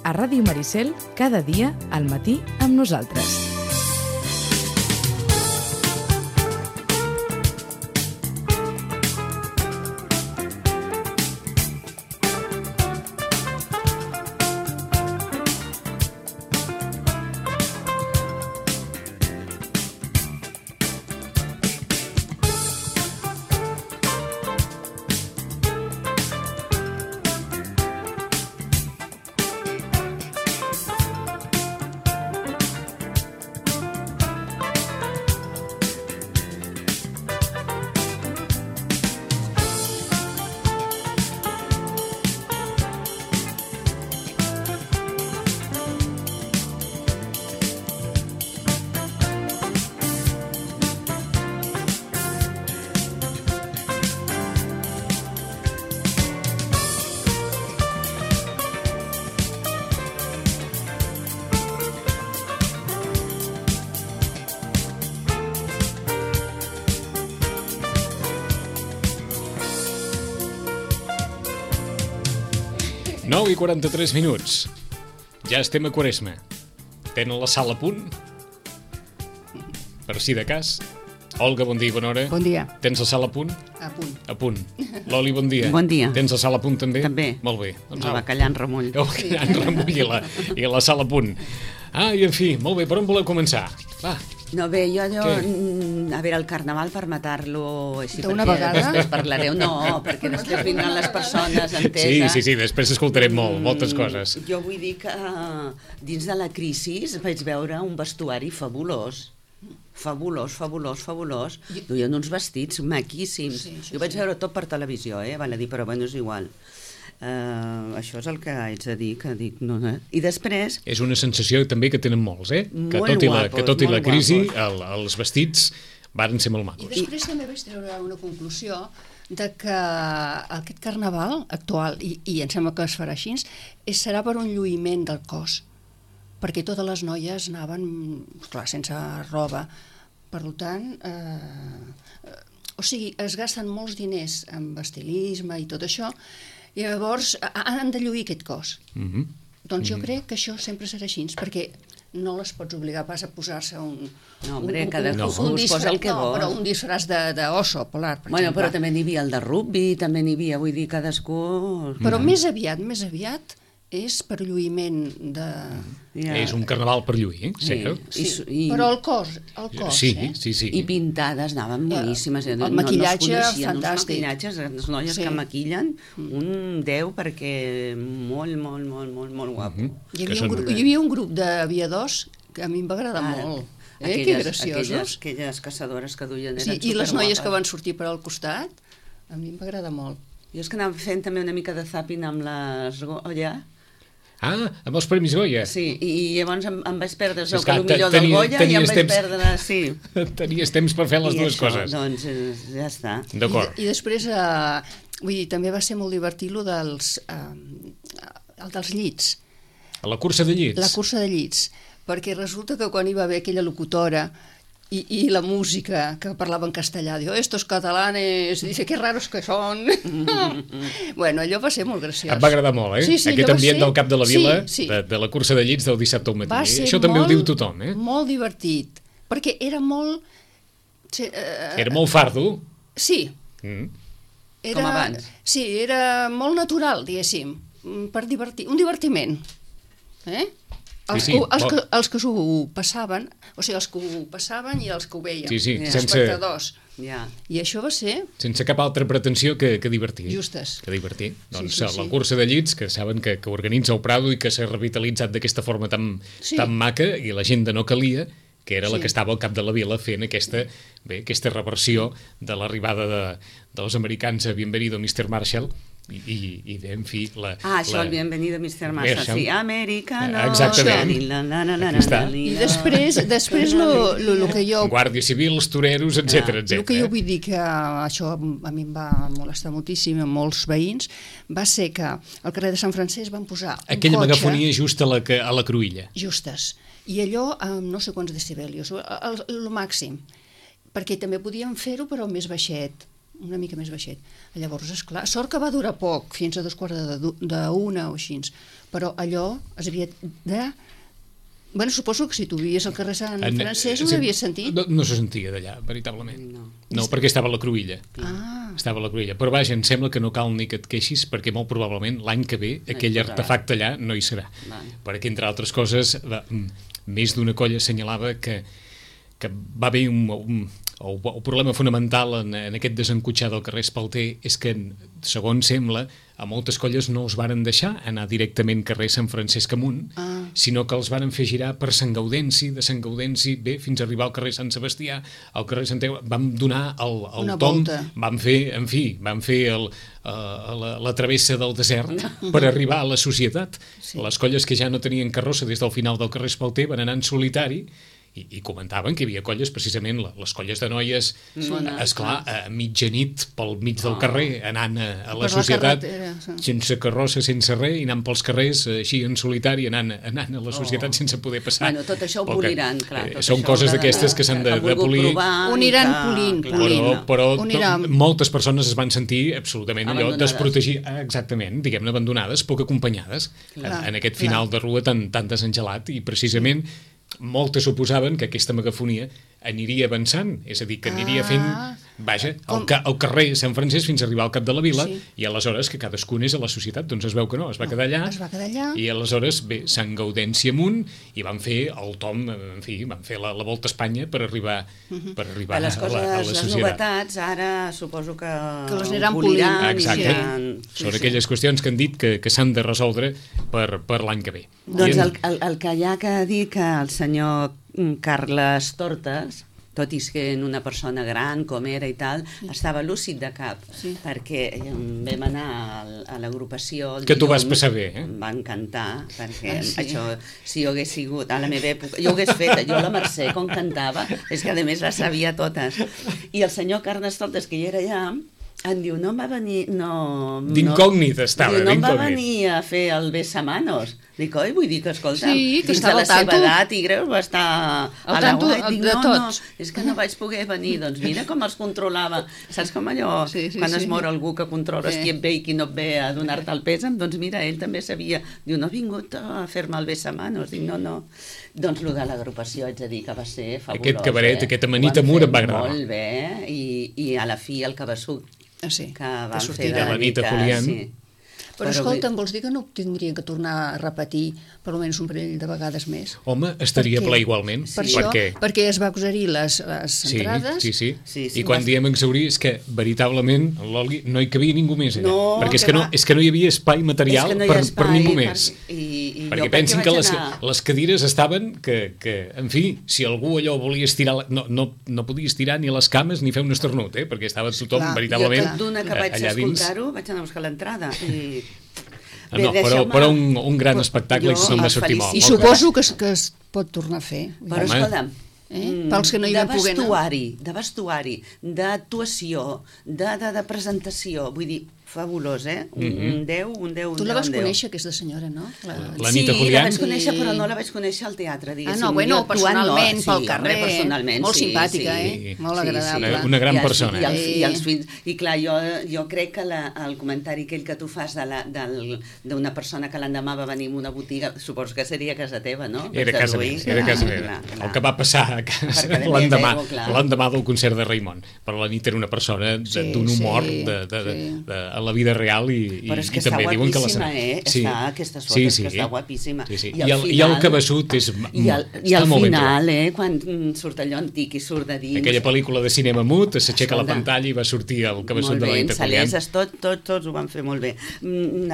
a Ràdio Maricel, cada dia al matí amb nosaltres. I 43 minuts. Ja estem a Quaresma. Tenen la sala a punt? Per si de cas. Olga, bon dia i bona hora. Bon dia. Tens la sala a punt? A punt. A punt. Loli, bon dia. Bon dia. Tens la sala a punt també? També. Molt bé. Doncs el bacallà en remull. El bacallà en remull i la sala a punt. I en fi, molt bé, per on voleu començar? Va. No, bé, jo a veure, el carnaval per matar-lo així, d'una vegada? Després parlareu, perquè després vindran les persones, entesa. Sí, després escoltarem moltes coses. Jo vull dir que dins de la crisi vaig veure un vestuari fabulós. Fabulós. Duien uns vestits maquíssims. Jo vaig veure tot per televisió, val a dir, però bueno, és igual. Això és el que haig de dir, que dic no. I després... És una sensació també que tenen molts, que tot i la crisi els vestits varen ser molt macos. I després també vaig treure una conclusió de que aquest carnaval actual, i em sembla que es farà així, serà per un lluïment del cos, perquè totes les noies anaven, clar, sense roba. Per tant, es gasten molts diners en estilisme i tot això, i llavors han de lluir aquest cos. Doncs jo crec que això sempre serà així, perquè no les pots obligar pas a posar-se un disfraç d'oso polar, per exemple. Però també n'hi havia el de rugby, també n'hi havia, vull dir, cadascú... Però més aviat és per lluïment de... És un carnaval per lluir, sí. Però el cos. Sí. I pintades anaven boníssimes. El maquillatge fantàstic. Els maquillatges, les noies que maquillen, un 10 perquè molt guapo. Hi havia un grup d'aviadors que a mi em va agradar molt. Que graciosos. Aquelles caçadores que duien eren superguapes. I les noies que van sortir per al costat, a mi em va agradar molt. Jo és que anava fent també una mica de zapping amb les Goya. Amb els Premis Goya. Sí, i llavors em vaig perdre el millor del Goya i em vaig perdre... Tenies temps per fer les dues coses. Doncs ja està. D'acord. I després, també va ser molt divertit el dels llits. La cursa de llits? La cursa de llits, perquè resulta que quan hi va haver aquella locutora i la música que parlava en castellà, diu, estos catalanes, dice, que raros que són. Bueno, allò va ser molt graciós. Em va agradar molt, Sí, aquest ambient del Cap de la Vila, de la cursa de llits del dissabte al matí. Això també ho diu tothom, molt divertit, perquè era molt... Era molt fardo? Sí. Com abans. Sí, era molt natural, diguéssim, per divertir, un divertiment. Els que s'ho passaven, o sigui, els que ho passaven i els que ho veien, els espectadors. I això va ser... Sense cap altra pretensió que divertir. Justes. Que divertir. Doncs la cursa de llits, que saben que organitza el Prado i que s'ha revitalitzat d'aquesta forma tan maca, i la gent de No Calia, que era la que estava al Cap de la Vila fent aquesta reversió de l'arribada dels americans a Bienvenido Mr. Marshall, i en fi... Això, el Bienvenido Mr. Marshall, sí, americano... Exactament. I després el que jo... Guàrdia Civil, els toreros, etc. El que jo vull dir, que això a mi em va molestar moltíssim a molts veïns, va ser que al carrer de Sant Francesc van posar un aquella cotxe... megafonia just a la Cruïlla. Justes. I allò amb no sé quants decibelios, el màxim. Perquè també podíem fer-ho, però més baixet. una mica més baixet. Llavors, esclar, sort que va durar poc, fins a 2:45 o així, però allò es havia de... Bueno, suposo que si tu vivies al carrer Sant Francesc ho havies sentit. No se sentia d'allà, veritablement. No, perquè estava a la Cruïlla. Estava a la Cruïlla. Però vaja, em sembla que no cal ni que et queixis, perquè molt probablement l'any que ve aquell artefacte allà no hi serà. Perquè, entre altres coses, més d'una colla assenyalava que va haver el problema fonamental en aquest desencotxar del carrer Espalter és que, segons sembla, a moltes colles no els varen deixar anar directament carrer Sant Francesc amunt, sinó que els varen fer girar per Sant Gaudenci, de Sant Gaudenci, fins a arribar al carrer Sant Sebastià, al carrer Sant Eugenio, vam donar el tomb, vam fer la travessa del desert per arribar a la societat. Les colles que ja no tenien carrossa des del final del carrer Espalter van anar en solitari i comentaven que hi havia colles, precisament les colles de noies, esclar, a mitjanit pel mig del carrer, anant a la societat, sense carrossa, sense res, i anant pels carrers així en solitari, anant a la societat sense poder passar. Bueno, tot això ho poliran, clar. Són coses d'aquestes que s'han de polir. Ho aniran polint. Però moltes persones es van sentir absolutament allò desprotegides, exactament, diguem-ne, abandonades, poc acompanyades en aquest final de rua tan desengelat, i precisament moltes suposaven que aquesta megafonia aniria avançant, és a dir, que aniria fent, vaja, el carrer Sant Francesc fins a arribar al cap de la vila, i aleshores que cadascun és a la societat, doncs es veu que no, es va quedar allà, i aleshores, bé, Sant Gaudenci amunt, i van fer el tomb, en fi, van fer la volta a Espanya per arribar a la societat. Les novetats, ara suposo que les aniran poliran. Exacte, són aquelles qüestions que han dit que s'han de resoldre per l'any que ve. Doncs el que hi ha que dir que el senyor Carles Tortes, tot i sent una persona gran com era i tal, estava lúcid de cap, perquè vam anar a l'agrupació... Que tu vas passar bé, eh? Em va encantar, perquè això, si jo hagués sigut a la meva època, jo ho hagués fet, jo la Mercè, com cantava, és que a més les sabia totes. I el senyor Carles Tortes, que hi era allà, em diu, no em va venir... D'incògnit estava, no em va venir a fer el besamanos. Dic, oi, vull dir que, escolta, que dins de la seva edat i greus va estar al tanto de tots. No, és que no vaig poder venir. Doncs mira com els controlava. Saps com allò, quan es mor algú que controles qui et ve i qui no et ve a donar-te el pèsam? Doncs mira, ell també sabia. Diu, no he vingut a fer-me el besamanos. Dic, no. Doncs el de l'agrupació, haig de dir que va ser fabulós. Aquest cabaret, aquest amanit amur em va agradar. Molt bé, i a la fi el cabeçut que van fer de la Nita Foliant. Però escolta'm, vols dir que no tindrien que tornar a repetir per almenys un parell de vegades més? Home, estaria ple igualment. Per això, perquè es va exaurir les entrades. Sí. I quan diem exaurir és que veritablement l'Oli no hi cabia ningú més. Perquè és que no hi havia espai material per ningú més. Perquè pensin que les cadires estaven que, en fi, si algú allò volia estirar, no podia estirar ni les cames ni fer un esternut, perquè estava tothom veritablement allà dins. Jo d'una que vaig escoltar-ho vaig anar a buscar l'entrada i... No, però un gran espectacle i se'n va sortir molt. I suposo que es pot tornar a fer. Però escolta'm, pels que no hi van poder anar. De vestuari, d'actuació, de presentació, vull dir, fabulós, un 10. Tu la vas conèixer, aquesta senyora, no? La Nita Foliant? Sí, la vaig conèixer, però no la vaig conèixer al teatre, diguéssim. Personalment, pel carrer. Molt simpàtica, molt agradable. Una gran persona. I els fills. I clar, jo crec que el comentari aquell que tu fas d'una persona que l'endemà va venir a una botiga, suposo que seria a casa teva, no? Era a casa meva. El que va passar l'endemà del concert de Raimon. Però la Nita era una persona d'un humor a la vida real i també diuen que la serà. Aquestes fotos que està guapíssima. I el cabeçut està molt ben I al final, quan surt allò antic i surt de dins... Aquella pel·lícula de cinema mut, s'aixeca la pantalla i va sortir el cabeçut de la Nita Foliant. Tots ho van fer molt bé.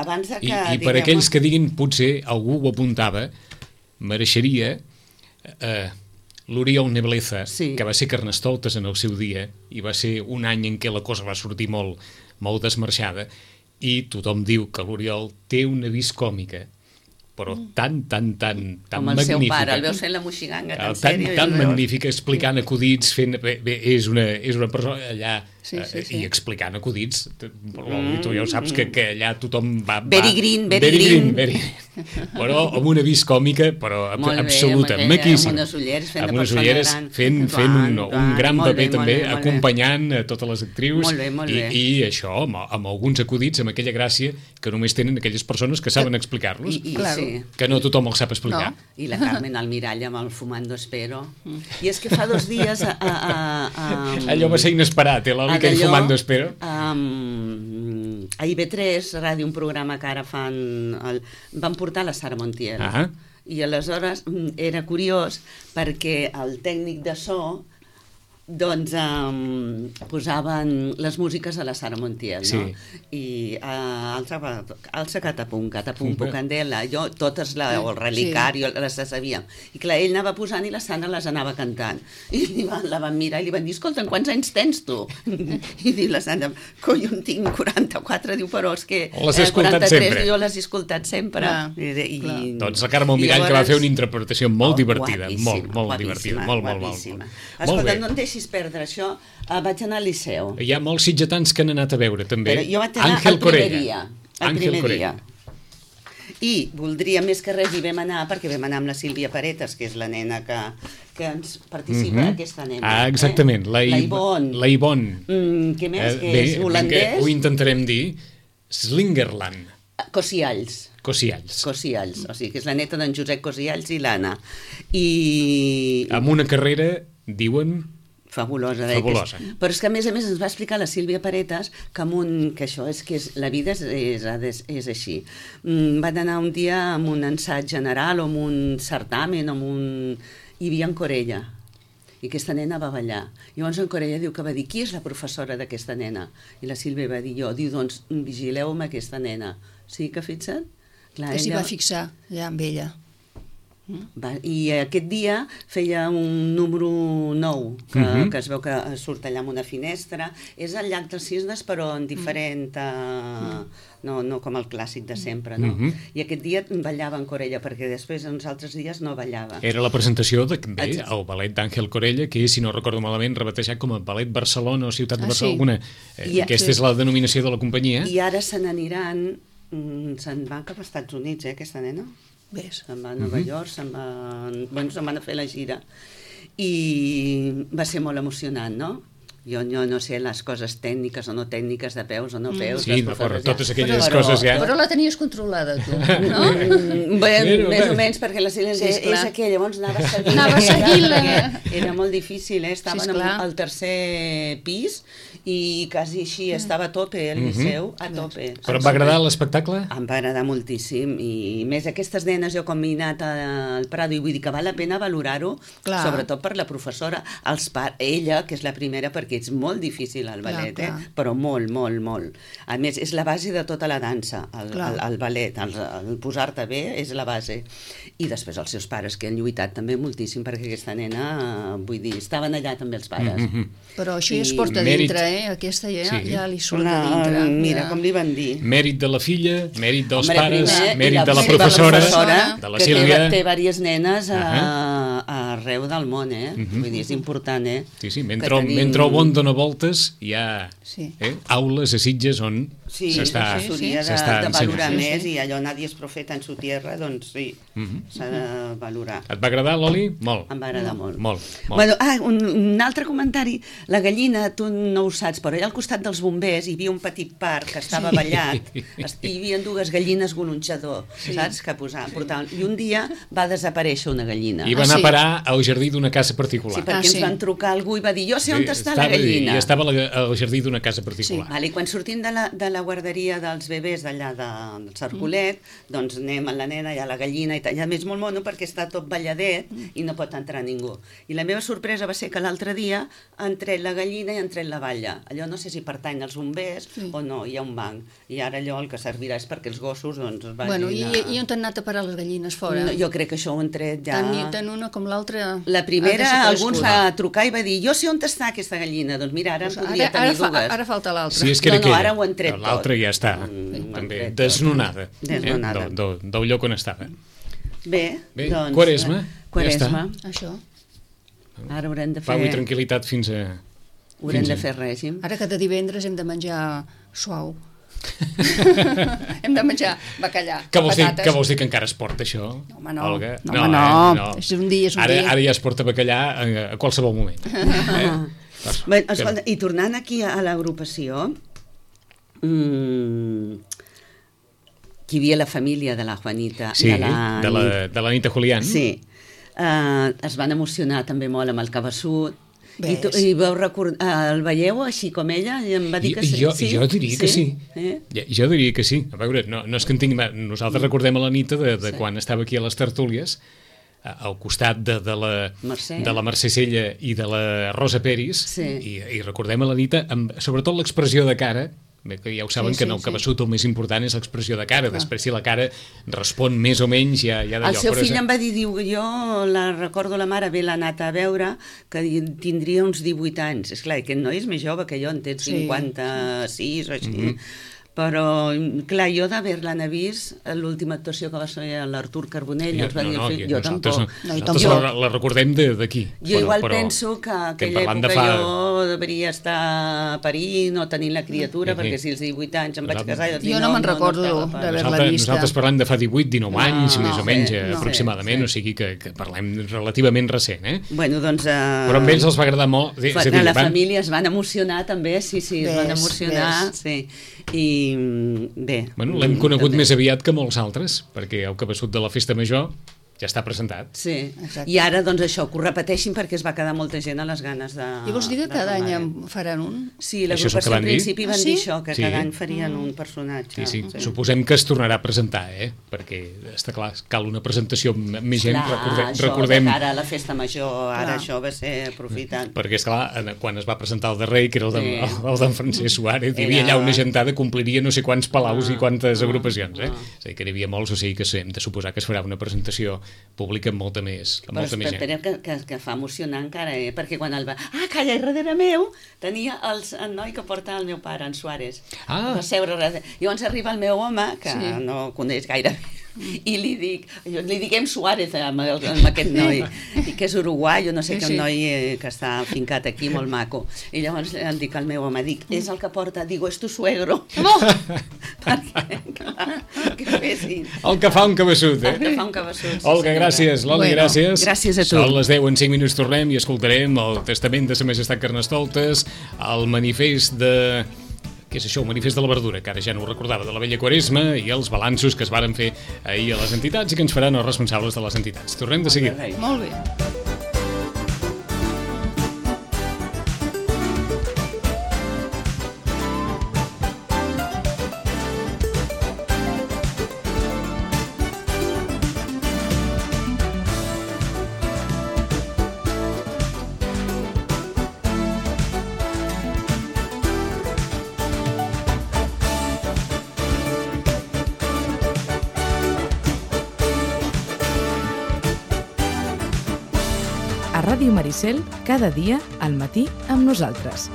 Abans que... I per aquells que diguin, potser algú ho apuntava, mereixeria... l'Oriol Nebleza, que va ser Carnestoltes en el seu dia, i va ser un any en què la cosa va sortir molt desmarxada, i tothom diu que l'Oriol té una vis còmica però tan com el seu pare, el veus fent la moixiganga tan sèrio. Tan magnífica, explicant acudits, és una persona allà i explicant acudits. Tu ja ho saps que allà tothom va... Very green. Però amb una vis còmica, però absoluta, maquíssim. Amb unes ulleres fent un gran paper també, acompanyant a totes les actrius i això, amb alguns acudits, amb aquella gràcia que només tenen aquelles persones que saben explicar-los, que no tothom els sap explicar. I la Carmen Almirall amb el Fumando Espero. I és que fa 2 dies... Allò va ser inesperat, l'Oli, aquell Fumando Espero. A IB3 Ràdio, un programa que ara van portar la Sara Montiel. I aleshores era curiós perquè el tècnic de so doncs posaven les músiques a la Sara Montiel, no? I alça catapum, Candela, jo totes, o el Relicari, les sabíem. I clar, ell anava posant i la Sara les anava cantant. I la van mirar i li van dir, escolta, quants anys tens tu? I diu la Sara, coi, jo en tinc 44, diu, però és que... Les he escoltat sempre. Jo les he escoltat sempre. Doncs la Carme Almirall, que va fer una interpretació molt divertida, molt divertida, molt. Escolta, no em deixis perdre això, vaig anar al Liceu. Hi ha molts sitgetans que han anat a veure també. Jo vaig anar el primer dia. I voldria, més que res, hi vam anar perquè vam anar amb la Sílvia Paretas, que és la nena que ens participa aquesta nena. Exactament, la Ivonne. Què més? Que és holandès? Ho intentarem dir. Slingerland. Cosialls. O sigui, que és la neta d'en Josep Cosialls i l'Anna. Amb una carrera, diuen... Fabulosa. Però és que a més ens va explicar la Sílvia Paretas que això és que la vida és així. Van anar un dia amb un ensaig general o amb un certamen, hi havia en Corella, i aquesta nena va ballar. Llavors en Corella diu que va dir, qui és la professora d'aquesta nena? I la Sílvia va dir jo. Diu, doncs vigileu amb aquesta nena. Sí que fixa't? Que s'hi va fixar ja amb ella. I aquest dia feia un número 9 que es veu que surt allà amb una finestra. És el Llac dels Cisnes però en diferent, no com el clàssic de sempre, no? I aquest dia ballava en Corella, perquè després uns altres dies no ballava. Era la presentació del ballet d'Àngel Corella, que és, si no recordo malament, rebatejat com a Ballet Barcelona o Ciutat de Barcelona. Aquesta és la denominació de la companyia. I ara se'n van cap als Estats Units, aquesta nena. Se'n va a Nova York, se'n van a fer la gira i va ser molt emocionant, no? Jo no sé les coses tècniques o no tècniques de peus o no peus. Sí, totes aquelles coses ja... Però la tenies controlada, tu, no? Més o menys, perquè la Sílvia és aquella, llavors anava seguint-la. Era molt difícil, estaven al tercer pis i quasi així estava a tope, el Liceu, a tope. Però em va agradar l'espectacle? Em va agradar moltíssim, i més aquestes nenes, jo com he anat al Prado, i vull dir que val la pena valorar-ho, sobretot per la professora, ella, que és la primera, perquè és molt difícil el ballet, però molt. A més, és la base de tota la dansa, el ballet, el posar-te bé és la base. I després els seus pares, que han lluitat també moltíssim, perquè aquesta nena, vull dir, estaven allà també els pares. Però això ja es porta dintre, aquesta ja li surt de dintre. Mira, com li van dir. Mèrit de la filla, mèrit dels pares, mèrit de la professora, de la Sílvia. Que té diverses nenes arreu del món, vull dir, és important, Sí, mentre el món dona voltes, hi ha aules a Sitges on s'està de valorar més, i allò nadie és profeta en su tierra, doncs sí, s'ha de valorar. Et va agradar, l'Oli? Molt. Em va agradar molt. Un altre comentari, la gallina, tu no ho saps, però allà al costat dels bombers hi havia un petit parc que estava ballat, hi havia 2 gallines golonxador, saps, que portaven, i un dia va desaparèixer una gallina. I va anar a parar al jardí d'una casa particular. Sí, perquè ens van trucar algú i va dir, jo sé on està la gallina. I estava al jardí d'una casa particular. I quan sortim de la guarderia dels bebès d'allà del Cercolet, doncs anem a la nena i a la gallina, i a més molt mono perquè està tot balladet i no pot entrar ningú. I la meva sorpresa va ser que l'altre dia han tret la gallina i han tret la balla. Allò no sé si pertany als bombers o no, hi ha un banc. I ara allò el que servirà és perquè els gossos vagin I on han anat a parar les gallines fora? Jo crec que això ho han tret ja... Tant una com l'altra La primera, alguns va trucar i va dir jo sé on està aquesta gallina, doncs mira, ara en podria tenir dues. Ara falta l'altra. Sí, és que era no, ara ho han tret tot. L'altra ja està, també desnonada. Del lloc on estava. Bé, doncs... Quaresma, ja està. Això. Ara haurem de fer... Pau i tranquil·litat fins a... Haurem de fer règim. Ara cada divendres hem de menjar suau. Hem de menjar bacallà, patates. Què vols dir, que encara es porta això, home, no. Olga? No. És un dia, Ara ja es porta bacallà a qualsevol moment. Bé, escolta, i tornant aquí a l'agrupació, que hi havia la família de la Juanita, sí, de la Anita Julián. Sí, es van emocionar també molt amb el Cabeçut. I vau recordar, el veieu així com ella? I em va dir que sí. Jo diria que sí. Jo diria que sí. A veure, no és que en tingui... Nosaltres recordem a l'Anita de quan estava aquí a les tertúlies, al costat de la Mercè Sella i de la Rosa Peris, i recordem a l'Anita amb sobretot l'expressió de cara. Bé, que ja ho saben, que en el Cabeçut el més important és l'expressió de cara. Després, si la cara respon més o menys, ja d'allò. El seu fill em va dir, diu, jo la recordo, la mare ve l'ha anat a veure, que tindria uns 18 anys. Esclar, aquest noi és més jove que jo, en té 56 o així. Però, clar, jo d'haver-la vist, l'última actuació que va ser l'Artur Carbonell, jo tampoc. Nosaltres la recordem d'aquí. Jo igual penso que aquella època jo devia estar parint o tenint la criatura, perquè si als 18 anys em vaig casar... Jo no me'n recordo d'haver-la vista. Nosaltres parlem de fa 18-19 anys, més o menys, aproximadament, o sigui que parlem relativament recent, eh? Bueno, doncs... Però amb ells els va agradar molt. La família es van emocionar també, sí, es van emocionar, sí. I bé... Bueno, l'hem conegut més aviat que molts altres, perquè el Cabeçut de la Festa Major ja està presentat. Sí, exacte. I ara, doncs això, que ho repeteixin perquè es va quedar molta gent a les ganes de... I vols dir que cada any en faran un? Sí, l'agrupació al principi van dir això, que cada any farien un personatge. Sí. Suposem que es tornarà a presentar, perquè està clar, cal una presentació amb més gent. Recordem... Això, ara a la Festa Major, ara això va ser aprofitant. Perquè, esclar, quan es va presentar el darrer, que era el d'en Francesc Suárez, hi havia allà una gentada, compliria no sé quants palaus i quantes agrupacions, És a dir, que n'hi havia molts, o sigui que hem de suposar que es farà una presentació pública amb molta més gent. Però que fa emocionar encara, perquè quan el va... calla, darrere meu tenia el noi que porta el meu pare, en Suárez. Va seure darrere. Llavors arriba el meu home, que no coneix gaire bé, i li dic Suárez amb aquest noi, i que és uruguai, no sé què, un noi que està fincat aquí, molt maco. I llavors em dic al meu home, és el que porta, digo, és tu suegro. Perquè, clar, que fessin. El que fa un cabeçut, El que fa un cabeçut. Olga, gràcies. Loli, gràcies. Gràcies a tu. Són les 10, en 5 minuts tornem i escoltarem el testament de Sa Majestat Carnestoltes, el manifest de... Què és això? El manifest de la verdura, que ara ja no ho recordava, de la vella Quaresma, i els balanços que es varen fer ahir a les entitats i que ens faran els responsables de les entitats. Tornem de seguida. Molt bé. A Ràdio Maricel, cada dia al matí amb nosaltres.